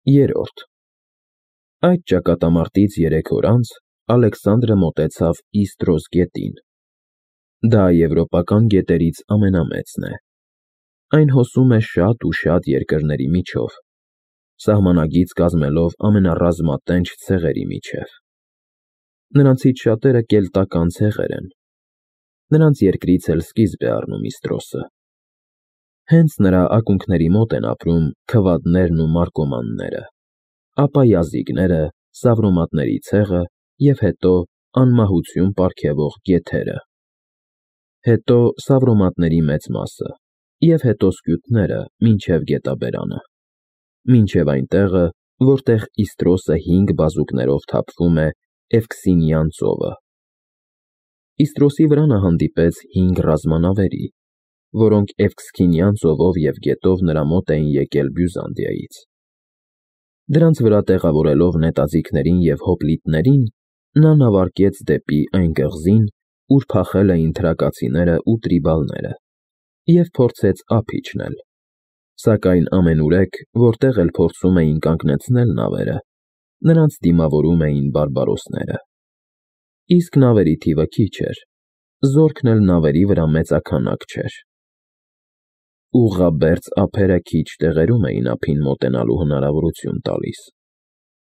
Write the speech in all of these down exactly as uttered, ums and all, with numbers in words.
Երրորդ Այդ ճակատամարտից երեք օր անց Ալեքսանդրը մոտեցավ Իստրոս գետին. դա եվրոպական գետերից ամենամեծն է. այն հոսում է շատ ու շատ երկրների միջով, սահմանագիծ կազմելով ամենառազմատենչ ցեղերի միջև. նրանցից շատերը կելտական ցեղեր են, նրանց երկրից էլ սկիզբ է առնում Իստրոսը. հենց նրա ակունքների մոտ են ապրում քվադներն ու մարկոմանները, ապա յազիգները, սավրոմատների ցեղը և հետո անմահություն պարգևող գեթերը, հետո սավրոմատների մեծ մասը և հետո սկյութները մինչև գետաբերանը, մինչև այն տեղը, որտեղ Իստրոսը հինգ բազուկներով թափվում է Էվքսինյան ծովը. Իստրոսի վրա նա հանդիպեց հինգ ռազմանավերի, որոնք Էվքսինյան ծովով և գետով նրա մոտ էին եկել Բյուզանդիայից. դրանց վրա տեղավորելով նետաձիգներին և հոպլիտներին, նա նավարկեց դեպի այն կղզին, ուր փախել էին թրակացիներն ու տրիբալները, և փորձեց ափ իջնել, սակայն ամենուրեք, որտեղ էլ փորձում էին կանգնեցնել նավերը, նրանց դիմավորում էին բարբարոսները. իսկ նավերի թիվը քիչ էր, զորքն էլ նավերի վրա մեծաքանակ չէր. ուղղաբերձ ափերը քիչ տեղերում էին ափին մոտենալու հնարավորություն տալիս,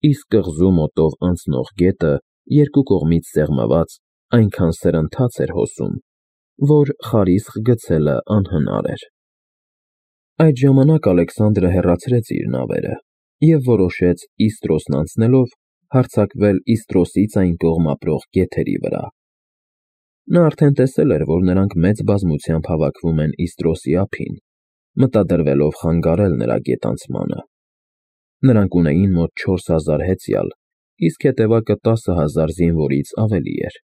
իսկ կղզու մոտով անցնող գետը երկու կողմից սեղմված այնքան սրընթաց էր հոսում, որ խարիսխ գցելն անհնար էր. Այդ ժամանակ Ալեքսանդրը հեռացրեց իր նավերը և որոշեց Իստրոսն անցնելով հարձակվել Իստրոսից այն կողմ ապրող գեթերի վրա. նա արդեն տեսել էր, որ նրանք մեծ բազմությամբ հավաքվում են Իստրոսի ափին, մտադրվելով խանգարել նրա գետանցմանը. նրանք ունեին մոտ չորս հազար հեծյալ, իսկ հետևակը տասը հազար զինվորից ավելի էր.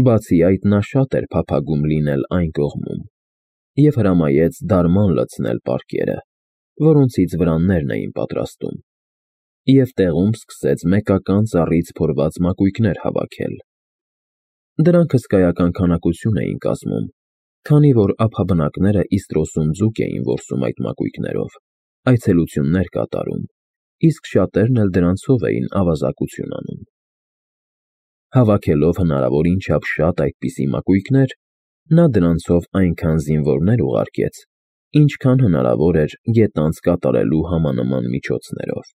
բացի այդ նա շատ էր փափագում լինել այն կողմում և հրամայեց դարման լցնել պարկերը, որոնցից վրաններն էին պատրաստում, և տեղում սկսեց մեկական ծառից փորված մակույկներ հավաքել. դրանք հսկայական քանակություն էին կազմում, քանի որ ափաբնակները Իստրոսում ձուկ էին որսում այդ մակույկներով, այցելություններ կատարում, իսկ շատերն էլ դրանցով էին ավազակություն անում. Հավաքելով հնարավորին չափ շատ այդպիսի մակույկներ, նա դրանցով այնքան զինվորներ ուղարկեց, ինչքան հնարավոր էր գետանց կատարելու համանման միջոցներով.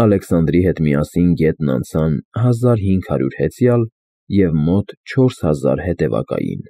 Ալեքսանդրի հետ միասին գետն անցան հազար հինգ հարյուր հեծյալ և մոտ չորս հազար հետևակային։